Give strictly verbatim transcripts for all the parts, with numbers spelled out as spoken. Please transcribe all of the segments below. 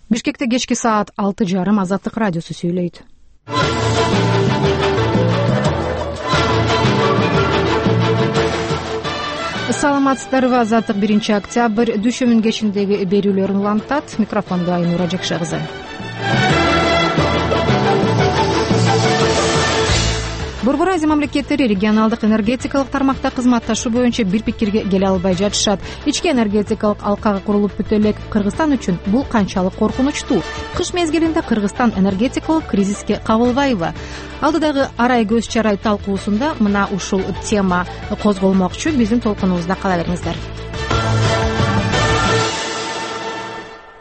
Бишкекте кечки саат алты жарым Азаттык радиосу сүйлөйт. Саламатсыздарбы? Азаттык биринчи октябрь дүшөмүн кечиндеги берүүлөрүн улантат. Микрофондо Айнура Жакшы кызы. Борбор Азия мамлекеттери регионалдык энергетикалык тармакта кызматташуу боюнча бир пикирге келе албай жатышат. Ички энергетикалык алкага курулуп бүтө элек Кыргызстан үчүн бул канчалык коркунучтуу? Кыш мезгилинде Кыргызстан энергетикалык кризиске кабылбайбы? Алдыдагы арай көз чарай талкуусунда мына ушул тема козголмокчу. Биздин толкунубузда кала бериңиздер.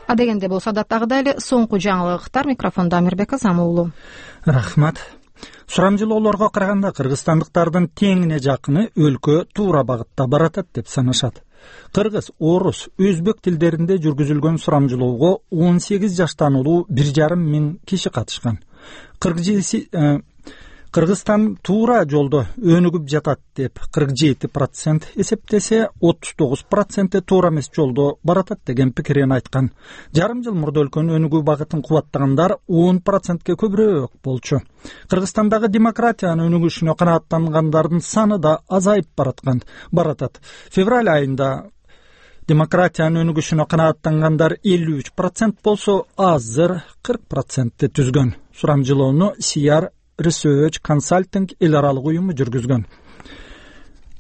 Адегенде болсо адаттагыдай эле соңку жаңылыктар. Микрофондо Амирбек Азам уулу. Рахмат. Сурамжылоолорго караганда кыргызстандыктардын теңине жакыны өлкө туура багытта баратат деп санашат. Кыргыз, орус, өзбек тилдеринде жүргүзүлгөн сурамжылоого он сегиз жаштан улуу бир жарым миң киши катышкан. Кыргызстан туура жолдо өнүгүп жатат деп кырк жети процент эсептесе, отуз тогуз проценти туура эмес жолдо баратат деген пикирин айткан. Жарым жыл мурда өлкөнүн өнүгүү багытын кубаттагандар он процентке көбүрөөк болчу. Кыргызстандагы демократиянын өнүгүшүнө канааттангандардын саны да азайып бараткан баратат. Февраль айында демократиянын өнүгүшүнө канааттангандар элүү үч процент болсо, азыр кырк процентти түзгөн. Сурамжылоону Сияр Research Consulting эл аралык уюму жүргүзгөн.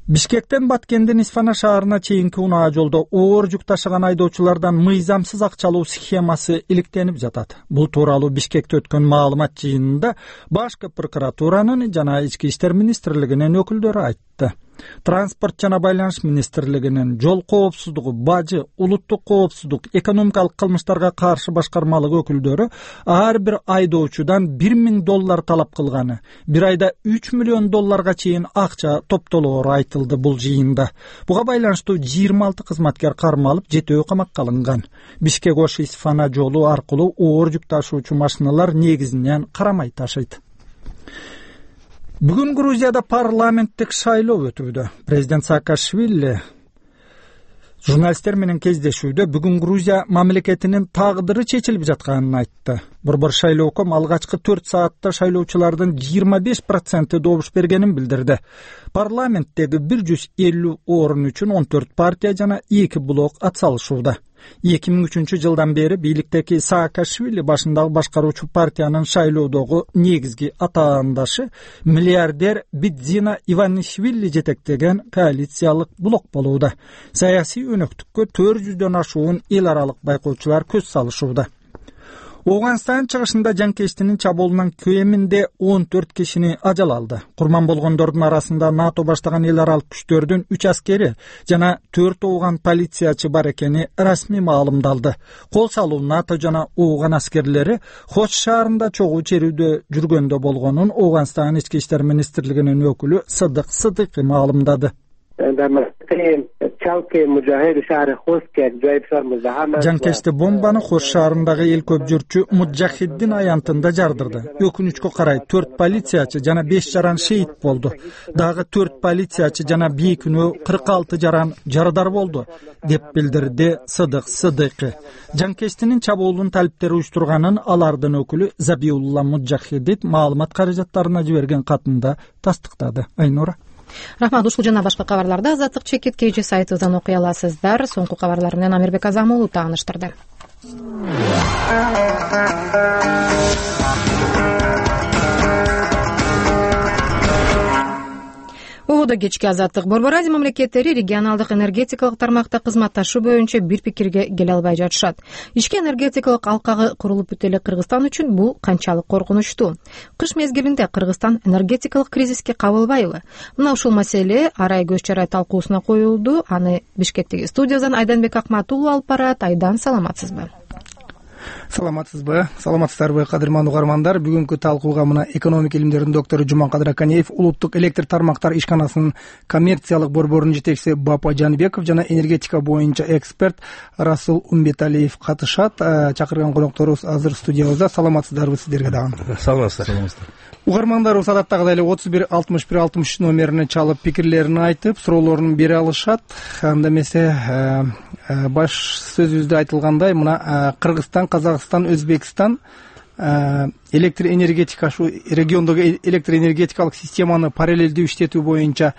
Бишкектен Баткендин Исфана шаарына чейинки унаа жолдо оор жүк ташыган айдоочулардан мыйзамсыз акчалоо схемасы иликтенип жатат. Бул тууралуу Бишкекте өткөн маалымат жыйынында башкы прокуратуранын жана ички иштер министрлигинин өкүлдөрү айтты. Транспорт жана байланыш министрлигинин жол коопсуздугу, бажы, улуттук коопсуздук, экономикалык кылмыштарга каршы башкармалык өкүлдөрү ар бир айдоочудан бир миң доллар талап кылганы, бир айда үч миллион долларга чейин акча топтолоору айтылды бул жыйында. Буга байланыштуу жыйырма алты кызматкер кармалып, жетөө камакка алынган. Бишкек Ош Исфана жолу аркылуу оор жүк ташуучу машиналар негизинен карамай ташыйт. Бүгүн Грузияда парламенттик шайлоо өтүүдө. Президент Саакашвили журналисттер менен кездешүүдө бүгүн Грузия мамлекетинин тагдыры чечилип жатканын айтты. Борбор шайлооком алгачкы төрт саатта шайлоочулардын жыйырма беш проценти добуш бергенин билдирди. Парламенттеги бир жүз элүү орун үчүн он төрт партия жана эки блок атсалышууда. эки миң үчүнчү жылдан бери бийликтеги Саакашвили башындагы башкаруучу партиянын шайлоодогу негизги атаандашы миллиардер Бидзина Иванишвили жетектеген коалициялык блок болууда. Саясий өнөктүккө төрт жүздөн ашуун эл аралык байкоочулар көз салышууда. Ооганстан чыгышында жанкечтинин чабуулунан кеминде он төрт кишини ажал алды. Курман болгондордун арасында НАТО баштаган эл аралык күчтөрдүн үч аскери жана төрт ооган полициячы бар экени расмий маалымдалды. Кол салуу НАТО жана ооган аскерлери Хоч шаарында чогуу чирүүдө жүргөндө болгонун Ооганстан ички иштер министрлигинин өкүлү Сыдык Сыдыкый маалымдады. Жанкечти бомбаны Хош шаарындагы эл көп жүрчү Муджахиддин аянтында жардырды. Өкүнүчкө карай төрт полициячы жана беш жаран шейит болду. Дагы төрт полициячы жана бий күнү кырк алты жаран жарадар болду, деп билдирди Сыдык Сыдыкый. Жанкечтинин чабуулун талиптери уюштурганын алардын өкүлү Забиулла Муджахиддин маалымат каражаттарына жиберген катында тастыктады. Айнура. Рахмат. Ушул жана башка кабарларды Азаттык чекит кей сайтыбыздан окуй аласыздар. Соңку кабарлар менен Амирбек Азам уулу тааныштырды. Ободо кечки Азаттык. Борбор Азия мамлекеттери регионалдык энергетикалык тармакта кызматташуу боюнча бир пикирге келе албай жатышат. Ички энергетикалык алкагы курулуп бүтө элек Кыргызстан үчүн бул канчалык коркунучтуу? Кыш мезгилинде Кыргызстан энергетикалык кризиске кабылбайбы? Мына ушул маселе арай көз чарай талкуусуна коюлду. Аны Бишкектеги студиябыздан Айданбек Акмат уулу алып барат. Айдан, саламатсызбы? Саламатсызбы, саламатсыздарбы кадырман угармандар. Бүгүнкү талкууга мына экономика илимдеринин доктору Жуманкадыр Аканеев, улуттук электр тармактар ишканасынын коммерциялык борборунун жетекчиси Бапа Жанбеков жана энергетика боюнча эксперт Расул Умбеталиев катышат. Чакырган конокторубуз азыр студиябызда. Саламатсыздарбы сиздерге дагы? Саламатсыздар. Угармандарыбыз адаттагыдай эле отуз бир алтымыш бир алтымыш үч номерине чалып пикирлерин айтып, суроолорун бере алышат. Анда эмесе баш сөзүбүздө айтылгандай мына Кыргызстан, Казакстан, Өзбекстан электр энергетика ушу региондогу электр энергетикалык системаны параллелдүү иштетүү боюнча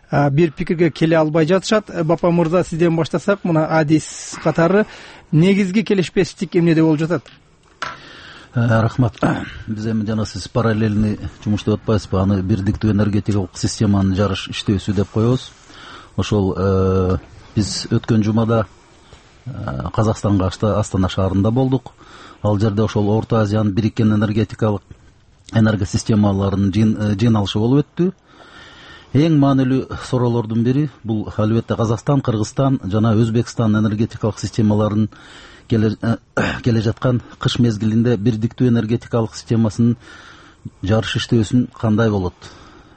бир пикирге келе албай жатышат. Бапа мырза, сизден баштасак, мына адис катары негизги келишпестик эмнеде болуп жатат? Рахмат. Биз эми жана сиз параллельный жумуш деп атпайсызбы, аны бирдиктүү энергетикалык системанын жарыш иштөөсү деп коебуз. Ошол биз өткөн жумада Казакстанга Астана шаарында болдук. Ал жерде ошол Орто Азиянын бириккен энергетикалык энергосистемаларынын жыйналышы болуп өттү. Эң маанилүү суроолордун бири бул албетте Казакстан, Кыргызстан жана Өзбекстан энергетикалык системаларынын келе жаткан кыш мезгилинде бирдиктүү энергетикалык системасынын жарыш иштөөсүн кандай болот?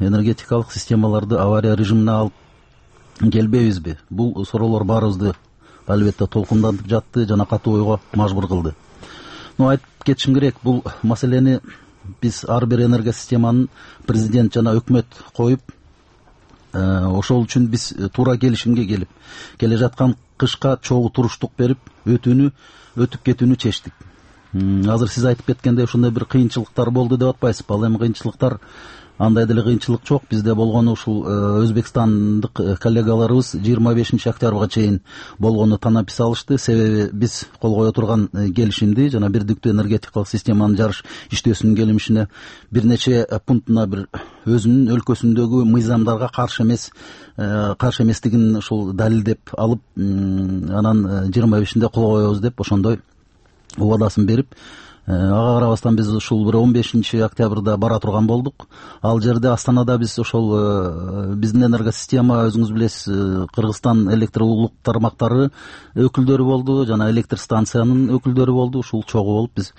Энергетикалык системаларды авария режимине алып келбейбизби? Бул суроолор баарыбызды албетте толкундантып жатты жана катуу ойго мажбур кылды. Но айтып кетишим керек, бул маселени биз ар бир энергосистеманын президент жана өкмөт коюп, ошол үчүн биз туура келишимге келип, келе жаткан кышка чогуу туруштук берип, өтүүнү өтүп кетүүнү чечтик. Азыр сиз айтып кеткендей ушундай бир кыйынчылыктар болду деп атпайсызбы? Ал эми кыйынчылыктар андай деле кыйынчылык жок. Бизде болгону ушул өзбекстандык коллегаларыбыз жыйырма бешинчи октябрга чейин болгону танапис алышты. Себеби биз кол кое турган келишимди жана бирдиктүү энергетикалык системанын жарыш иштөөсүнүн келишимине бир нече пунктуна бир өзүнүн өлкөсүндөгү мыйзамдарга каршы эмес каршы эместигин ушул далилдеп алып, анан жыйырма бешинде кол коебуз деп ошондой убадасын берип, ага карабастан биз ушул бир он бешинчи октябрда бара турган болдук. Ал жерде Астанада биз ошол биздин энергосистема, өзүңүз билесиз, Кыргызстан электр улуттук тармактары өкүлдөрү болду жана электр станциянын өкүлдөрү болду. Ушул чогуу болуп биз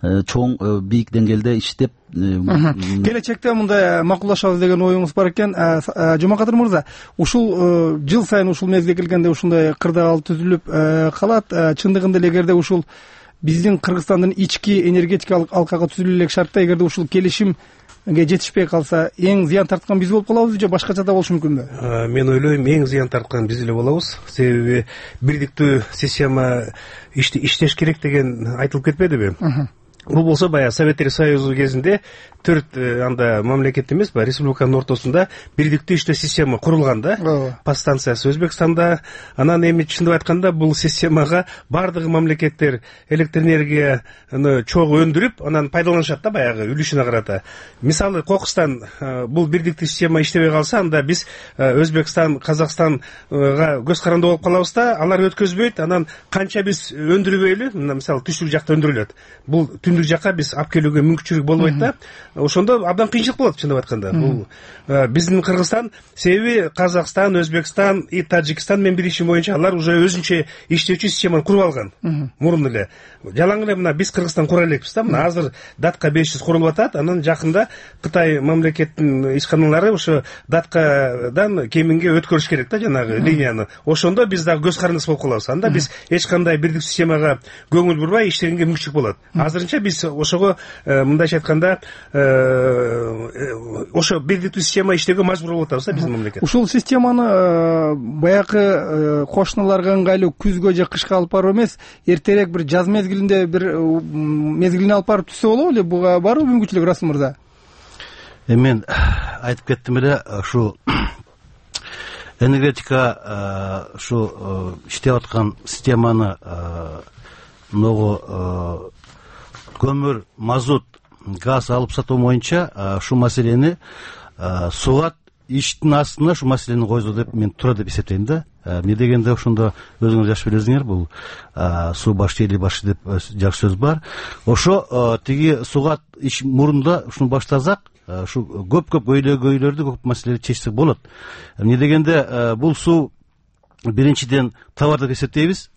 чоң бийик деңгээлде иштеп, келечекте мындай макулдашабыз деген оюңуз бар экен. Жумакадыр мырза, ушул жыл сайын ушул мезгилге келгенде ушундай кырдаал түзүлүп калат. Чындыгында эле эгерде ушул биздин Кыргызстандын ички энергетикалык алкага түзүлө элек шартта эгерде ушул келишимге жетишпей калса, эң зыян тарткан биз болуп калабызбы же башкача да болушу мүмкүнбү? Мен ойлойм, эң зыян тарткан биз эле болобуз. Себеби бирдиктүү система иштеш керек деген айтылып кетпедиби? Бул болсо баягы Советтер Союзу кезинде төрт анда мамлекет эмес, баягы республиканын ортосунда бирдиктүү иштөө система курулган да. Подстанциясы Өзбекстанда. Анан эми чындап айтканда бул системага бардык мамлекеттер электр энергияны чогуу өндүрүп, анан пайдаланышат да баягы үлүшүнө карата. Мисалы Кокустан бул бирдиктүү система иштебей калса, анда биз Өзбекстан, Казакстанга көз каранды болуп калабыз да, алар өткөзбөйт. Анан канча биз өндүрбөйлү, мисалы түштүк жакта өндүрүлөт. Бул түндүк жакка биз алып келүүгө мүмкүнчүлүк болбойт да. Ошондо абдан кыйынчылык болот чындап айтканда. Бул биздин Кыргызстан, себеби Казакстан, Өзбекстан и Таджикстан менен билишим боюнча алар уже өзүнчө иштөөчү системаны куруп алган. Мурун эле. Жалаң эле мына биз Кыргызстан кура элекпиз да. Мына азыр датка беш жүз курулуп атат. Анан жакында Кытай мамлекетинин ишканалары ошо даткадан кеминге өткөрүш керек да жанагы линияны. Ошондо биз дагы көз карандысы болуп калабыз. Анда биз эч кандай бирдиктүү системага көңүл бурбай иштегенге мүмкүнчүлүк болот. Азырынча биз ошого мындайча айтканда ошо бирдиктүү система иштөөгө мажбур болуп атабыз да биздин мамлекет. Ушул системаны баягы кошуналарга ыңгайлуу күзгө же кышка алып баруу эмес, эртерээк бир жаз мезгилинде бир мезгилине алып барып түзсө болобу эле? Буга барбы мүмкүнчүлүк, Расул мырза? Мен айтып кеттим эле, ушу энергетика ушу иштеп аткан системаны могу көмүр, мазут, газ алып сатуу боюнча ушул маселени сугат иштин астына ушу маселени койду деп мен туура деп эсептейм да. Эмне дегенде ошондо өзүңүз жакшы билесиңер, бул суу башы эли башы деп жакшы сөз бар. Ошо тиги сугат иш мурунда ушуну баштасак, ушу көп-көп өйлөгөйлөрдү, көп маселелерди чечсек болот. Эмне дегенде бул суу биринчиден товар деп эсептейбиз.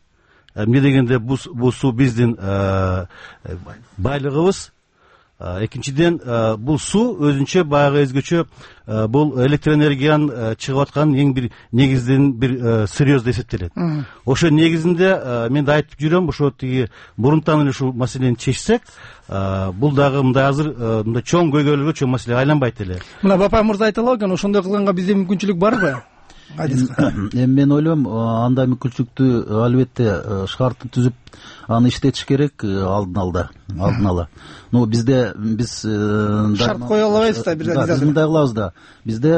Эмне дегенде бул суу биздин байлыгыбыз. Экинчиден бул суу өзүнчө баягы өзгөчө бул электр энергиянын чыгып аткан эң бир негизден бир сырьёз деп эсептелет. Ошо негизинде мен да айтып жүрөм, ошо тиги мурунтан эле ушул маселени чечсек, бул дагы мындай азыр мындай чоң көйгөйлөргө, чоң маселеге айланбайт эле. Мына Бапай мырза айталып экен, ошондой кылганга бизде мүмкүнчүлүк барбы? эми мен ойлойм андай мүмкүнчүлүктү албетте шартты түзүп аны иштетиш керек алдын ала алдын ала ну бизде биз шарт кое албайбыз да биз мындай кылабыз да бизде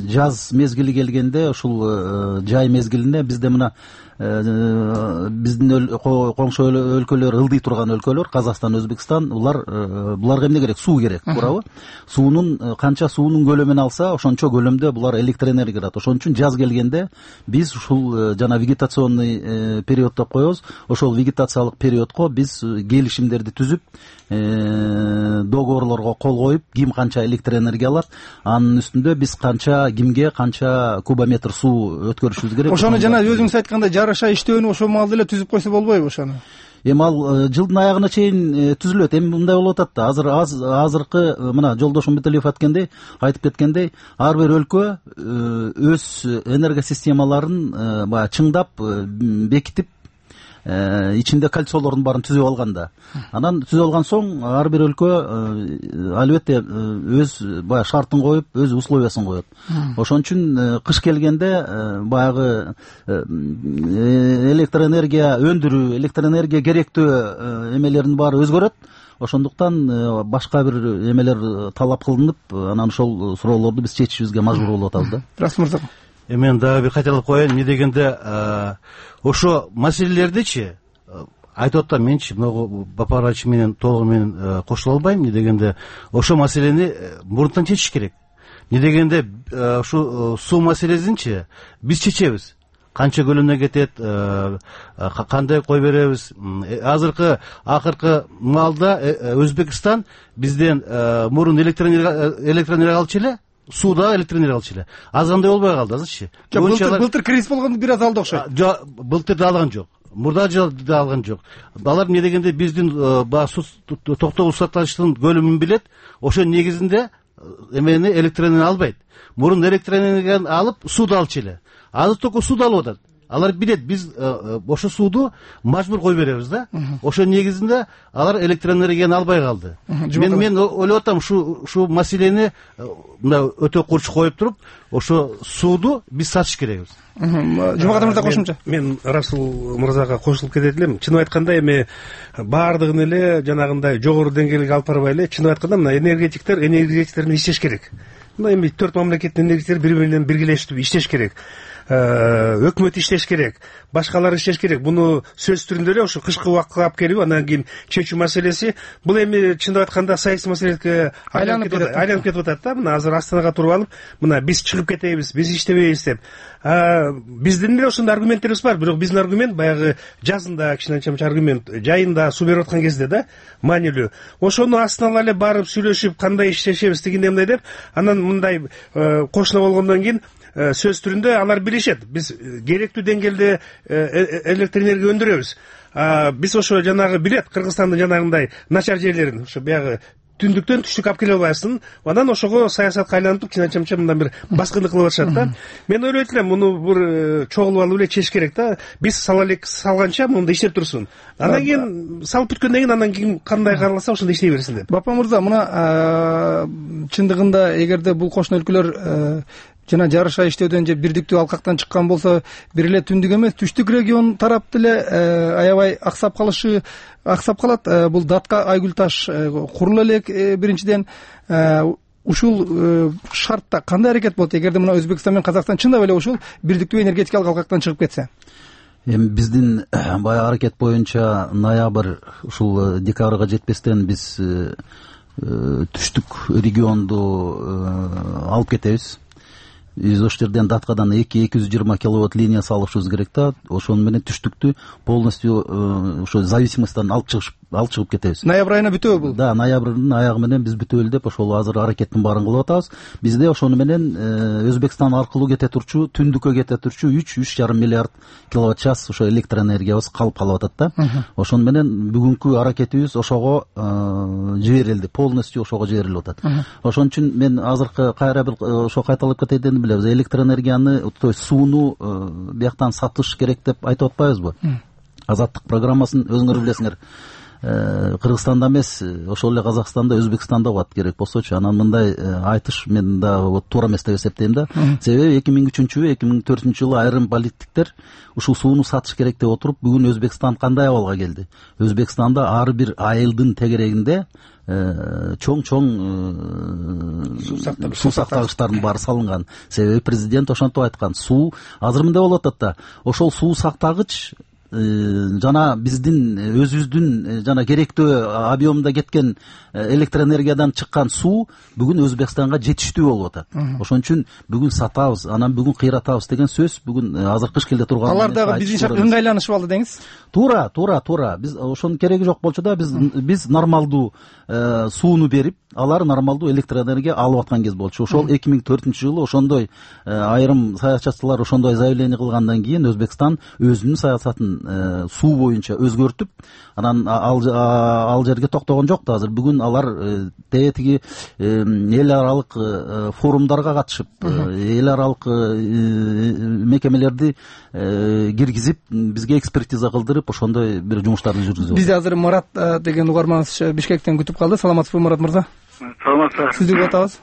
жаз мезгили келгенде ушул жай мезгилине бизде мына биздин коңшу өлкөлөр ылдый турган өлкөлөр Казакстан, Өзбекстан булар буларга эмне керек? Суу керек, туурабы? Суунун канча суунун көлөмүн алса, ошончо көлөмдө булар электр энергия берет. Ошон үчүн жаз келгенде биз ушул жана вегетационный период деп коебуз. Ошол вегетациялык периодко биз келишимдерди түзүп, договорлорго кол коюп, ким канча электр энергия алат, анын үстүндө биз канча кимге канча кубометр суу өткөрүшүбүз керек. Ошону жана өзүңүз айткандай жараша иштөөнү ошол маалда эле түзүп койсо болбойбу ошону? Эми ал жылдын аягына чейин түзүлөт. Эми мындай болуп атат да. Азыр азыркы мына жолдошум Бетелиев айткандай, айтып кеткендей, ар бир өлкө өз энергосистемаларын баягы чыңдап, бекитип, ичинде кольцолордун баарын түзүп алган да. Анан түзүп алган соң ар бир өлкө албетте өз баягы шартын коюп, өз условиясын коет. Ошон үчүн кыш келгенде баягы электр энергия өндүрүү, электр энергия керектөө эмелердин баары өзгөрөт. Ошондуктан башка бир эмелер талап кылынып, анан ошол суроолорду биз чечишибизге мажбур болуп атабыз да. Расул мырза. Эми мен дагы бир кайталап коеюн, эмне дегенде ошо маселелердичи айтып атам, менчи могу Бапарач менен толугу менен кошула албайм. Эмне дегенде ошо маселени мурунтан чечиш керек. Эмне дегенде ушу суу маселесинчи биз чечебиз. Канча көлөмдө кетет, кандай кой беребиз. Азыркы акыркы маалда Өзбекстан бизден мурун электр энергия алчу эле, сууда электр энергия алчу эле. Аз кандай болбой калды азырчы. Жок, былтыр кризис болгондо бир аз алды окшойт. Жок, былтыр да алган жок. Мурда да алган жок. Алар эмне дегенде биздин суу токтогул саташтын көлөмүн билет. Ошо негизинде эмени электр энергия албайт. Мурун электр энергияны алып сууду алчу эле. Азыр только сууду алып атат. Алар билет, биз ошо сууду мажбур кой беребиз да. Ошо негизинде алар электр энергияны албай калды. Мен мен ойлоп атам, ушу ушу маселени мына өтө курч коюп туруп, ошо сууду биз сатыш керекбиз. Жумакадыр мырза кошумча. Мен Расул мырзага кошулуп кетет элем. Чынын айтканда эми баардыгын эле жанагындай жогору деңгээлге алып барбай эле, чынын айтканда мына энергетиктер энергетиктер менен иштеш керек. Мына эми төрт мамлекеттин энергетиктери бири бири менен биргелешип иштеш керек. Өкмөт иштеш керек, башкалар иштеш керек. Буну сөз түрүндө эле ошо кышкы убакытка алып келип, анан кийин чечүү маселеси бул эми чындап айтканда саясий маселеге айланып кетет, айланып кетип атат да. Мына азыр Астанага туруп алып, мына биз чыгып кетебиз, биз иштебейбиз деп. Биздин эле ошондой аргументтерибиз бар, бирок биздин аргумент баягы жазында кичине аргумент, жайында суу берип аткан кезде да маанилүү. Ошону астына ала эле барып сүйлөшүп, кандай иштешебиз дегендей мындай деп, анан мындай кошуна болгондон кийин сөз түрүндө алар билишет. Биз керектүү деңгээлде электр энергия өндүрөбүз. Биз ошо жанагы билет, Кыргызстандын жанагындай начар жерлерин, ошо баягы түндүктөн түштүккө алып келе албайсың. Анан ошого саясатка айлантып, кичине мындан бир баскындык кылып атышат да. Мен ойлойт элем, муну бир чогулуп алып эле чечиш керек да. Биз сала элек салганча мында иштеп турсун. Анан кийин салып бүткөндөн кийин анан кийин кандай кааласа ошондой иштей берсин деп. Бапа мырза, мына чындыгында эгерде бул кошуна өлкөлөр жана жарыша иштөөдөн же бирдиктүү алкактан чыккан болсо, бир эле түндүк эмес, түштүк регион тарап деле аябай аксап калышы аксап калат. Бул Датка Айгүл таш курулу элек биринчиден. Ушул шартта кандай аракет болот эгерде мына Өзбекстан менен Казакстан чындап эле ушул бирдиктүү энергетикалык алкактан чыгып кетсе? Эми биздин баягы аракет боюнча ноябрь ушул декабрга жетпестен биз түштүк регионду алып кетебиз. Биз ошол жерден Даткадан эки эки жүз жыйырма киловатт линия салышыбыз керек да. Ошону менен түштүктү полностью ошо зависимосттан алып чыгып алып чыгып кетебиз. Ноябрь айына бүтөбү бул? Да, ноябрдын аягы менен биз бүтөлү деп ошол азыр аракеттин баарын кылып атабыз. Бизде ошону менен Өзбекстан аркылуу кете турчу, түндүккө кете турчу үч үч жарым миллиард киловатт час ошо электр энергиябыз калып калып атат да. Ошону менен бүгүнкү аракетибиз ошого жиберилди, полностью ошого жиберилип атат. Ошон үчүн мен азыркы кайра бир ошо кайталап кетейин билебиз. Электр энергияны, то есть сууну бияктан сатыш керек деп айтып атпайбызбы? Азаттык программасын өзүңөр билесиңер. Кыргызстанда эмес, ошол эле Казакстанда, Өзбекстанда болот керек болсочу. Анан мындай айтыш мен да туура эмес деп эсептейм да. Себеби эки миң үчүнчү эки миң төртүнчү жылы айрым политиктер ушул сууну сатыш керек деп отуруп, бүгүн Өзбекстан кандай абалга келди? Өзбекстанда ар бир айылдын тегерегинде чоң-чоң суу сактагычтардын баары салынган. Себеби президент ошентип айткан. Суу азыр мындай болуп атат да. Ошол суу сактагыч жана биздин өзүбүздүн жана керектүү объемда кеткен электр энергиядан чыккан суу бүгүн Өзбекстанга жетиштүү болуп атат. Ошон үчүн бүгүн сатабыз, анан бүгүн кыйратабыз деген сөз бүгүн азыр кыш келе турган. Алар дагы биздин шарт ыңгайланышып алды деңиз. Туура, туура, туура. Биз ошонун кереги жок болчу да, биз биз нормалдуу сууну берип, алар нормалдуу электр энергия алып аткан кез болчу. Ошол эки миң төртүнчү жылы ошондой айрым саякатчылар ошондой заявление кылгандан кийин Өзбекстан өзүнүн саясатын суу боюнча өзгөртүп, анан ал ал жерге токтогон жок да. Азыр бүгүн алар тетиги эл аралык форумдарга катышып, эл аралык мекемелерди киргизип, бизге экспертиза кылдырып, ошондой бир жумуштарды жүргүзүп. Бизде азыр Марат деген угарманыбыз Бишкектен күтүп калды. Саламатсызбы, Марат мырза? Саламатсызбы. Сизди күтүп атабыз.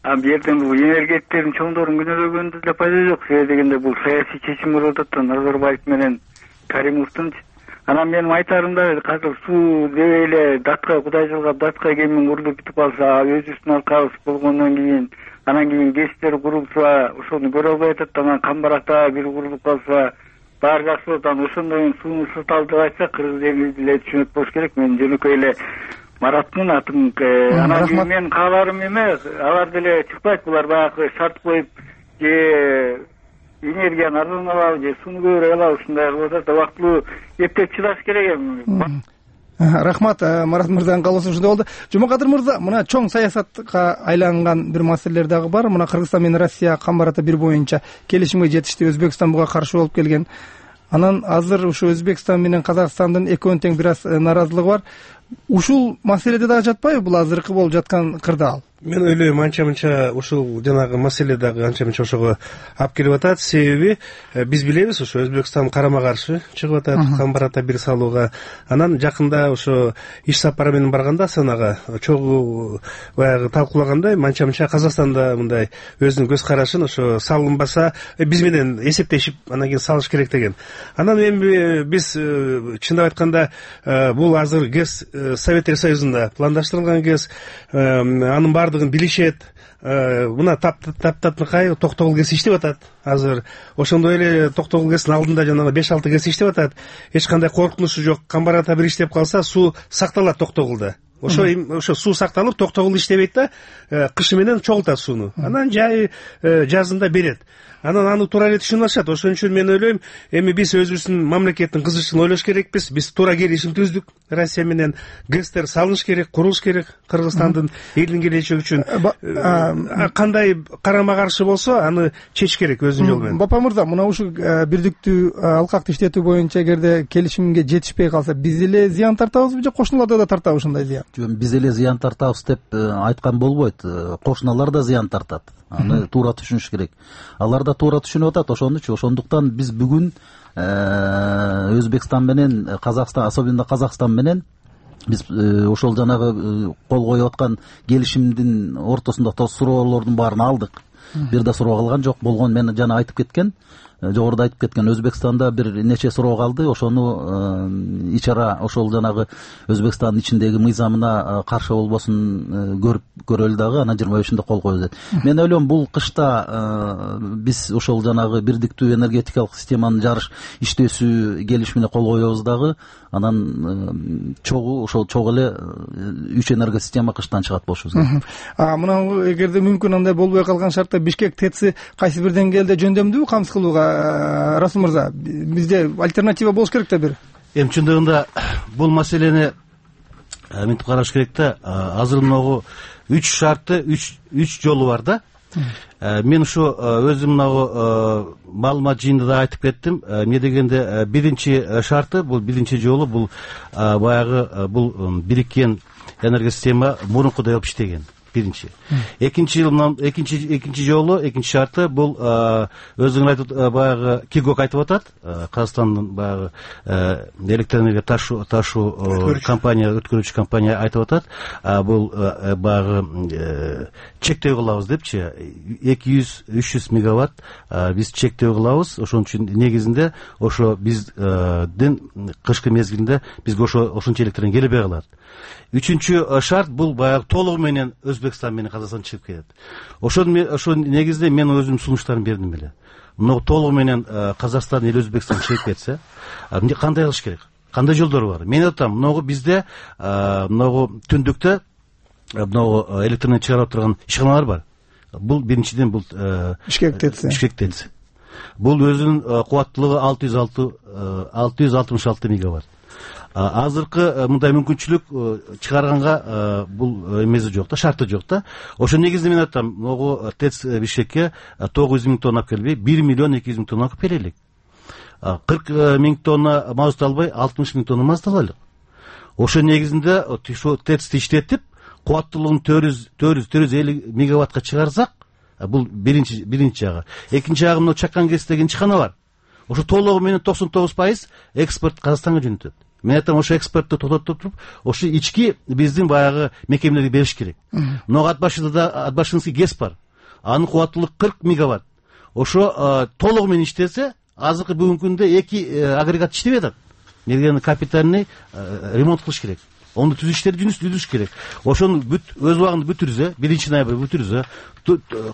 А бул жерден бул энергетиктердин чоңдорун күнөөлөгөндө да пайда жок. Себеби дегенде бул саясий чечим болуп атат да, Назарбаев менен Каримовдун. Анан менин айтарымда азыр суу дебей эле датка Кудай жылгап датка кемиң урулуп бүтүп калса, өзүбүздүн алкабыз болгондон кийин анан кийин ГЭСтер курулса, ошону көрө албай атат да. Анан Камбаракта бир курулуп калса баары жакшы болот. Анан ошондон сууну саталы деп айтсак, кыргыз эли деле түшүнөт болуш керек. Мен жөнөкөй эле Мараттын атын. Анан кийин менин кааларым эме, алар деле чыкпайт, булар баягы шарт коюп же энергияны арзан алабы же сууну көбүрөөк алабы, ушундай кылып атат да. Убактылуу эптеп чыдаш керек эми. Рахмат, Марат мырзанын каалоосу ушундай болду. Жумакадыр мырза, мына чоң саясатка айланган бир маселелер дагы бар. Мына Кыргызстан менен Россия Камбар ата бир боюнча келишимге жетишти. Өзбекстан буга каршы болуп келген. Анан азыр ушу Өзбекстан менен Казакстандын экөөнүн тең бир аз нааразылыгы бар. Ушул маселеде дагы жатпайбы бул азыркы болуп жаткан кырдаал? Мен ойлойм, анча-мынча ушул жанагы маселе дагы анча-мынча ошого алып келип атат. Себеби биз билебиз, ошо Өзбекстан карама каршы чыгып атат Камбар ата бир салууга. Анан жакында ошо иш сапары менен барганда Астанага чогуу баягы талкуулагандай, анча-мынча Казакстанда мындай өзүнүн көз карашын ошо салынбаса биз менен эсептешип анан кийин салыш керек деген. Анан эми биз чындап айтканда бул азыр ГЭС Советтер Союзунда пландаштырылган ГЭС, анын бардыгын билишет. Мына таптатынкай Токтогул ГЭС иштеп атат азыр. Ошондой эле Токтогул ГЭСтин алдында жанагы беш алты ГЭС иштеп атат. Эч кандай коркунучу жок. Камбар ата бир иштеп калса, суу сакталат Токтогулда. Ошо ошо суу сакталып, Токтогул иштебейт да, кышы менен чогултат сууну. Анан жай жазында берет. Анан аны туура эле түшүнүп алышат. Ошон үчүн мен ойлойм, эми биз өзүбүздүн мамлекеттин кызыгычын ойлош керекпиз. Биз туура келишим түздүк Россия менен. ГЭСтер салыныш керек, курулуш керек Кыргызстандын элдин келечеги үчүн. Кандай карама каршы болсо, аны чечиш керек өзүнүн жолу менен. Бапа мырза, мына ушул бирдиктүү алкакты иштетүү боюнча эгерде келишимге жетишпей калса, биз эле зыян тартабызбы же кошуналар да тартабы ушундай зыян? Жок, биз эле зыян тартабыз деп айткан болбойт. Кошуналар да зыян тартат. Аны туура түшүнүш керек. Алар да туура түшүнүп атат ошондучу. Ошондуктан биз бүгүн Өзбекстан менен Казакстан, особенно Казакстан менен биз ошол жанагы кол коюп аткан келишимдин ортосунда суроолордун баарын алдык. Бир да суроо калган жок. Болгон мен жана айтып кеткен, жогоруда айтып кеткен, Өзбекстанда бир нече суроо калды. Ошону ичара ошол жанагы Өзбекстандын ичиндеги мыйзамына каршы болбосун көрүп көрөлү дагы, анан жыйырма бешинде кол коебуз дейт. Мен ойлойм, бул кышта биз ошол жанагы бирдиктүү энергетикалык системанын жарыш иштөөсү келишимине кол коебуз дагы, анан чогуу ошол чогуу эле үч энерго система кыштан чыгат болушубуз керек. А мына эгерде мүмкүн андай болбой калган шартта Бишкек ТЭЦи кайсы бир деңгээлде жөндөмдүүбү камсыз кылууга, Расул мырза? Бизде альтернатива болуш керек да бир. Эми чындыгында бул маселени мынтип караш керек да. Азыр могу үч шарты, үч үч жолу бар да. Мен ушу өзүм мынагу маалымат жыйында да айтып кеттим. Эмне дегенде биринчи шарты, бул биринчи жолу бул баягы бул бириккен энергосистема мурункудай болуп иштеген. биринчи. Экинчи экинчи экинчи жолу экинчи шарты бул өзүңөр айтып баягы Кигок айтып атат, Казакстандын баягы электроэнергия ташуу ташуу компания, өткөрүүчү компания айтып атат. Бул баягы чектөө кылабыз депчи, эки жүз үч жүз мегаватт биз чектөө кылабыз. Ошон үчүн негизинде ошо биздин кышкы мезгилинде бизге ошо ошончо электр келбей калат. Үчүнчү шарт бул баягы толугу менен Өзбекстан менен Казакстан чыгып кетет. Ошон ошо негизинде мен өзүм сунуштарын бердим эле. Мына толугу менен Казакстан эле Өзбекстан чыгып кетсе, кандай кылыш керек? Кандай жолдор бар? Мен айтам, мынагу бизде мынагу түндүктө мынагу электр чыгарып турган ишканалар бар. Бул биринчиден бул Бишкек ТЭЦ. Бишкек ТЭЦ. Бул өзүнүн кубаттуулугу алты жүз алты алты жүз алтымыш алты мегаватт. Азыркы мындай мүмкүнчүлүк чыгарганга бул эмеси жок да, шарты жок да. Ошо негизинде мен айтам, могу ТЭЦ Бишкекке тогуз жүз миң тонна алып келбей, бир миллион эки жүз миң тонна алып келелик. кырк миң тонна мазут албай, алтымыш миң тонна мазут алайлык. Ошо негизинде ошо ТЭЦти иштетип, кубаттуулугун төрт жүз төрт жүз элүү мегаваттка чыгарсак, бул биринчи биринчи жагы. Экинчи жагы мына Чакан КЭС деген ишкана бар. Ошо толугу менен токсон тогуз пайыз экспорт Казакстанга жөнөтөт. Мен айтам, ошо экспортду токтотуп туруп, ошо ички биздин баягы мекемелерге бериш керек. Мына ат башында да ат башынский КЭС бар. Анын кубаттуулугу кырк мегаватт. Ошо толугу менен иштесе, азыркы бүгүнкү күндө эки агрегат иштебей атат. Мергени капитальный ремонт кылыш керек. Ону түзүштөр түзүш керек. Ошону бүт өз убагында бүтүрсө, биринчи ноябрь бүтүрсө,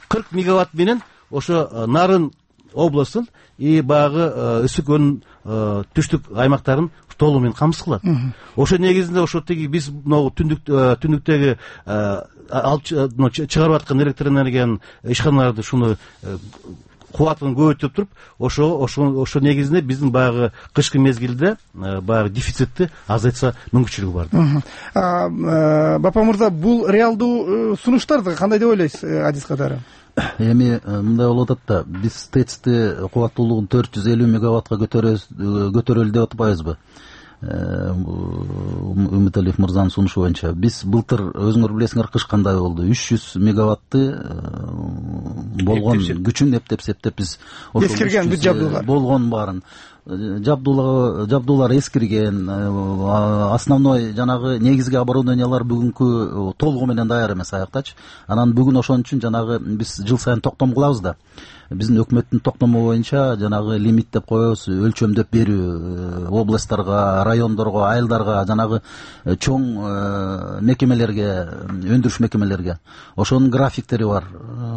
кырк мегаватт менен ошо Нарын областын и баягы ысык өнүм түштүк аймактарын толугу менен камсыз кылат. Ошо негизинде ошо теги биз могу түндүк түндүктөгү чыгарып аткан электр энергиянын ишканаларды шуну кубатын көбөйтүп туруп, ошо ошо ошо негизинде биздин баягы кышкы мезгилде баягы дефицитти азайтса мүмкүнчүлүгү бар. Бапа мырза, бул реалдуу сунуштар кандай деп ойлойсуз адис катары? Эми мындай болуп атат да, биз ТЭЦти кубаттуулугун төрт жүз элүү мегаваттка көтөрөлү деп атпайбызбы? Үмүталиев мырзанын сунушу боюнча биз былтыр, өзүңөр билесиңер, кыш кандай болду? үч жүз мегаватты болгон күчүн эптеп-септеп биз эскирген бүт жабдуулар болгон баарын жабдуулар эскирген, основной жанагы негизги оборудованиялар бүгүнкү толугу менен даяр эмес аяктачы. Анан бүгүн ошон үчүн жанагы биз жыл сайын токтом кылабыз да. Биздин өкмөттүн токтому боюнча жанагы лимит деп коебуз, өлчөмдөп берүү областтарга, райондорго, айылдарга, жанагы чоң мекемелерге, өндүрүш мекемелерге. Ошонун графиктери бар.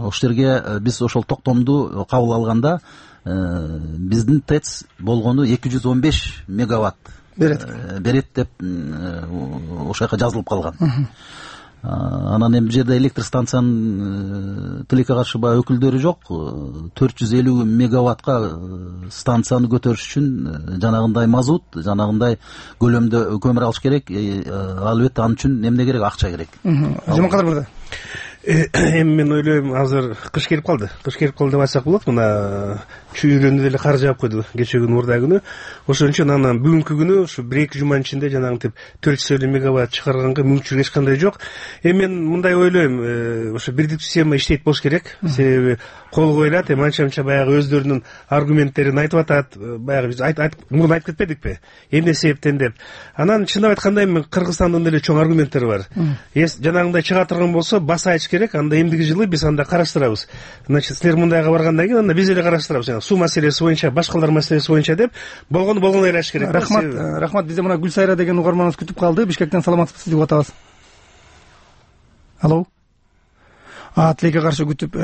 Ошол жерге биз ошол токтомду кабыл алганда биздин ТЭЦ болгону эки жүз он беш мегаватт берет берет деп ошол жака жазылып калган. Анан эми бул жерде электр станциянын тилекке каршы баягы өкүлдөрү жок. төрт жүз элүү мегаваттка станцияны көтөрүш үчүн жанагындай мазут, жанагындай көлөмдө көмүр алыш керек. Албетте ал үчүн эмне керек? Акча керек. Жумакадыр мырза. Эми мен ойлойм, азыр кыш келип калды. Кыш келип калды деп айтсак болот. Мына чүйрөнү деле кар жаап койду кечээ күнү, мурда күнү. Ошон үчүн анан бүгүнкү күнү ушу бир эки жуманын ичинде жанагынтип төрт жүз элүү мегаватт чыгарганга мүмкүнчүлүк эч кандай жок. Эми мен мындай ойлойм, ошо бирдиктүү система иштейт болуш керек. Себеби кол коюлат, эми анча-мынча баягы өздөрүнүн аргументтерин айтып атат. Баягы биз мурун айтып кетпедикпи? Эмне себептен деп. Анан чындап айтканда эми Кыргызстандын деле чоң аргументтери бар. Жанагындай чыга турган болсо баса айч керек, анда эмдиги жылы биз анда караштырабыз. Значит, силер мындайга баргандан кийин анда биз эле караштырабыз. Суу маселеси боюнча, башкалар маселеси боюнча деп болгону болгону эле айч керек. Рахмат, рахмат. Бизде мына Гүлсайра деген угарманыбыз күтүп калды. Бишкектен саламатсызбы, сизди угуп атабыз. Алло. Тилекке каршы күтүп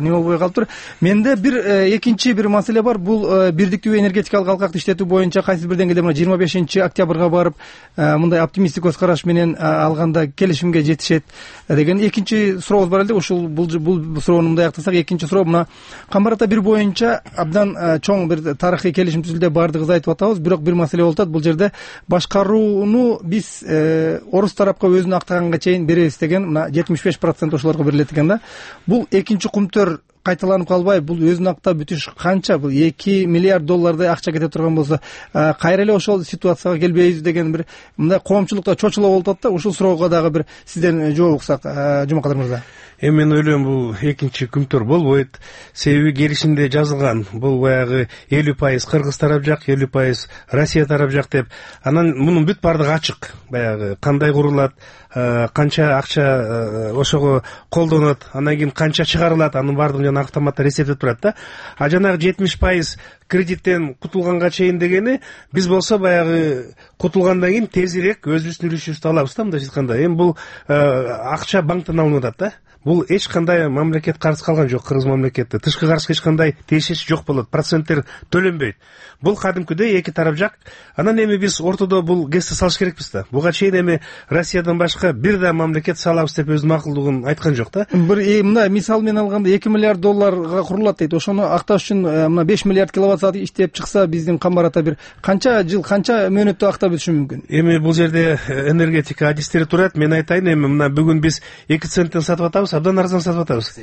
неме болбой калыптыр. Менде бир экинчи бир маселе бар. Бул бирдиктүү энергетикалык алкакты иштетүү боюнча кайсы бир деңгээлде мына жыйырма бешинчи октябрга барып мындай оптимисттик көз караш менен алганда келишимге жетишет деген экинчи сурообуз бар эле. Ушул бул бул суроону мындай аяктасак, экинчи суроо мына Камбар ата бир боюнча абдан чоң бир тарыхый келишим түзүлдү, баардыгыбыз айтып атабыз. Бирок бир маселе болуп атат. Бул жерде башкарууну биз орус тарапка өзүн актаганга чейин беребиз деген, мына жетимиш беш процент ошолорго берилет экен да. Бул экинчи кумтөр кайталанып калбайбы? Бул өзүн актап бүтүш канча? Бул эки миллиард доллардай акча кете турган болсо, кайра эле ошол ситуацияга келбейбиз деген бир мындай коомчулукта чочулап болуп атат да. Ушул суроого дагы бир сизден жооп уксак, Жумакадыр мырза. Эми мен ойлойм бул экинчи күмтөр болбойт. Себеби келишимде жазылган. Бул баягы элүү пайыз Кыргыз тарап жак, элүү пайыз Россия тарап жак деп. Анан мунун бүт бардыгы ачык. Баягы кандай курулат, канча акча ошого колдонот, андан кийин канча чыгарылат, анын бардыгын жана автоматтар эсептеп турат да. А жанагы жетимиш пайыз кредиттен кутулганга чейин дегени биз болсо баягы кутулгандан кийин тезирээк өзүбүздүн үлүшүбүздү алабыз да, мындайча айтканда. Эми бул акча банктан алынып атат да. Бул эч кандай мамлекет карыз калган жок, Кыргыз мамлекети. Тышкы карызга эч кандай тиешеси жок болот, проценттер төлөнбөйт. Бул кадимкидей эки тарап жак. Анан эми биз ортодо бул кести салыш керекпиз да. Буга чейин эми Россиядан башка бир да мамлекет салабыз деп өз макулдугун айткан жок да. Бир мындай мисал менен алганда эки миллиард долларга курулат дейт. Ошону акташ үчүн мына беш миллиард киловатт саат иштеп чыкса, биздин камбарата бир канча жыл, канча мөөнөттө актап бүтүшү мүмкүн? Эми бул жерде энергетика адистери турат. Мен айтайын, эми мына бүгүн биз эки центтен сатып атабыз, абдан арзан сатып атабыз.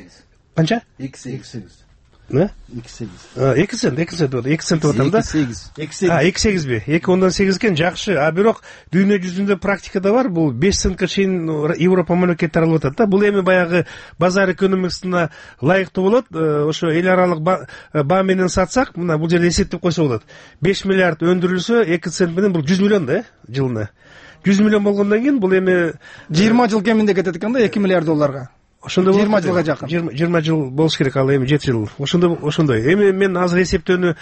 Канча? эки сегиз. Не? эки сегиз. эки цент, эки цент, эки цент деп атам да. эки сегиз. А, эки сегизби? эки ондон сегиз экен, жакшы. А бирок дүйнө жүзүндө практикада бар, бул беш центке чейин Европа мамлекеттери алып атат да. Бул эми баягы базар экономикасына ылайыктуу болот. Ошо эл аралык баа менен сатсак, мына бул жерде эсептеп койсо болот. беш миллиард өндүрүлсө, эки цент менен бул жүз миллион да, жылына. жүз миллион болгондон кийин бул эми жыйырма жыл кеминде кетет экен да, эки миллиард долларга. Ошондой жыйырма жылга жакын. жыйырма жыл болуш керек, ал эми жети жыл. Ошондой ошондой. Эми мен азыр эсептөөнү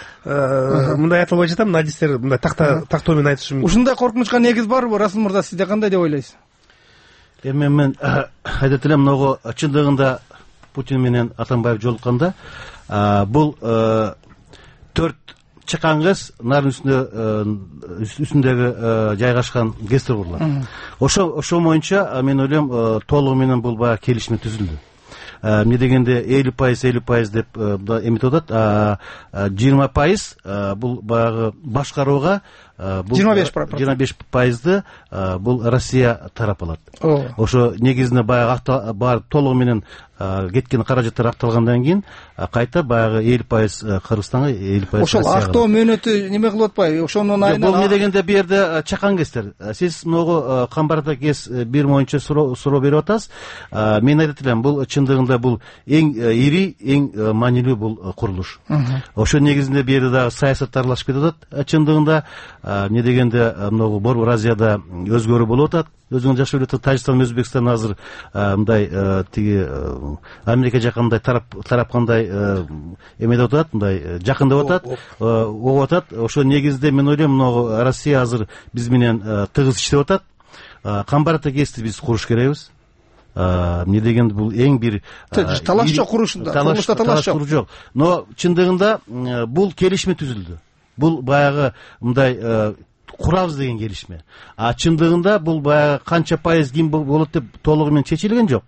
мындай айта албай жатам, адистер мындай такта тактоо менен айтышым. Ушундай коркунучка негиз барбы, Расул мырза, сизде кандай деп ойлойсуз? Эми мен айтат элем, могу чындыгында Путин менен Атамбаев жолукканда бул төрт чыкан кыз нарын үстүндө үстүндөгү жайгашкан гестер курулат. Ошо ошо боюнча мен ойлойм толугу менен бул баягы келишим түзүлдү. Эмне дегенде элүү пайыз элүү пайыз деп эметип атат, жыйырма пайыз бул баягы башкарууга, жыйырма беш жыйырма беш пайызды бул Россия тарап алат. Ошо негизинде баягы бар толугу менен кеткен каражаттар акталгандан кийин кайта баягы элүү пайыз Кыргызстанга, элүү пайыз Россияга. Ошол актоо мөөнөтү неме кылып атпайбы? Ошонун айынан бул эмне дегенде бу жерде чакан кестер. Сиз могу камбарда кес бир боюнча суроо берип атасыз. Мен айтат элем, бул чындыгында бул эң ири, эң маанилүү бул курулуш. Ошо негизинде бу жерде дагы саясат аралашып кетип атат. Чындыгында эмне дегенде могу Борбор Азияда өзгөрүү болуп атат. Өзүңүз жакшы билет, Тажикстан, Өзбекстан азыр мындай тиги Америка жакындай тарап тарапкандай эмедеп атат, мындай жакындап атат, огуп атат. Ошо негизде мен ойлойм, могу Россия азыр биз менен тыгыз иштеп атат. Камбарата кести биз куруш керекбиз. Эмне дегенде бул эң бир талаш жок, курушунда курулушта талаш жок. Но чындыгында бул келишме түзүлдү. Бул баягы мындай курабыз деген келишме. А чындыгында бул баягы канча пайыз ким болот деп толугу менен чечилген жок.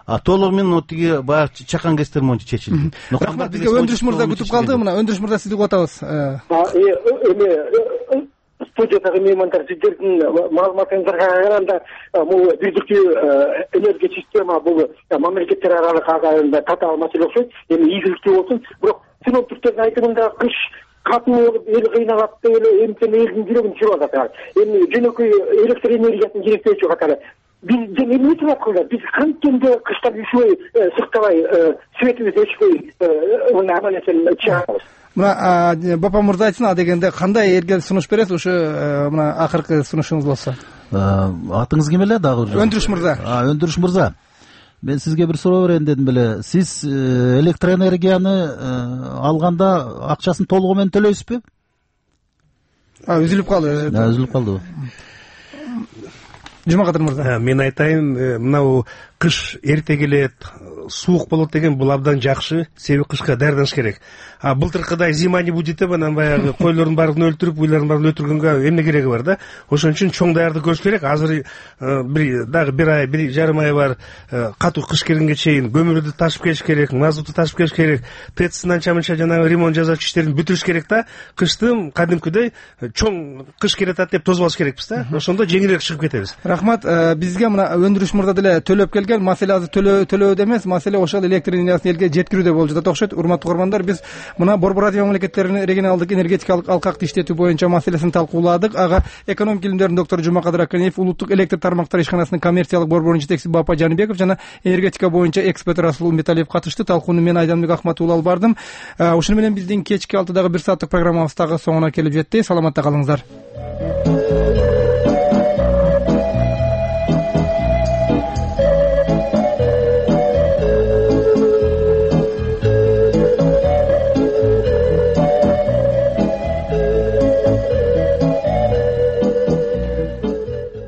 А толугу менен тиги баягы чакан кестер боюнча чечилди. Рахмат, бизге Өндүрүш мырза күтүп калды. Мына Өндүрүш мырза, сизди угуп атабыз. Эми студиядагы меймандар, сиздердин маалыматыңыздарга караганда, бул бирдиктүү энергия система бул мамлекеттер аралык татаал маселе окшойт. Эми ийгиликтүү болсун, бирок синоптиктердин айтымында кыш катуу болуп эл кыйналат деп эле эмтен элдин жүрөгүн түшүрүп атат. Эми жөнөкөй электр энергиясын керектөөчү катары биз эмне деп аткандар, биз канткенде кыштан üşүбөй, сыктабай, светибиз өчпөй мына амалетен чыгабыз. Мына Бапа мырза айтсын, а дегенде кандай эрген сунуш бересиз? Ушу мына акыркы сунушуңуз болсо. Атыңыз ким эле дагы? Өндүрүш мырза. Өндүрүш мырза. Мен сизге бир суроо берейин дедим беле. Сиз электроэнергияны алганда акчасын толугу менен төлөйсүзбү? А, үзүлүп калды. Да, үзүлүп калды. Жумакадыр мырза. Мен айтайын, мына кыш эрте келет, суук болот деген бул абдан жакшы, себеби кышка даярданыш керек. А былтыркыдай зима не будет деп анан баягы койлордун баарын өлтүрүп, уйларын баарын өлтүргөнгө эмне кереги бар да? Ошон үчүн чоң даярдык көрүш керек. Азыр бир дагы бир ай, бир жарым ай бар, катуу кыш келгенге чейин көмүрдү ташып келиш керек, мазутту ташып келиш керек, ТЭЦ анча-мынча жанагы ремонт жасач иштерин бүтүрүш керек да. Кыштын кадимкидей чоң кыш келатат деп тосуп алыш керекпиз да. Ошондо жеңилирээк чыгып кетебиз. Рахмат. Бизге мына Өндүрүш мырза деле төлөп келген. Маселе азыр төлөө төлөөдө эмес, маселе ошол электр энергиясын элге жеткирүүдө болуп жатат окшойт. Урматтуу угармандар, биз мына Борбор Азия мамлекеттеринин регионалдык энергетикалык алкакты иштетүү боюнча маселесин талкууладык. Ага экономик илимдердин доктору Жумакадыр Аканеев, улуттук электр тармактар ишканасынын коммерциялык борборунун жетекчиси Бапа Жаныбеков жана энергетика боюнча эксперт Расул Умбеталиев катышты. Талкууну мен Айданбек Акматуулу алып бардым. Ушуну менен биздин кечки алтыдагы бир сааттык программабыз дагы соңуна келип жетти. Саламатта калыңыздар.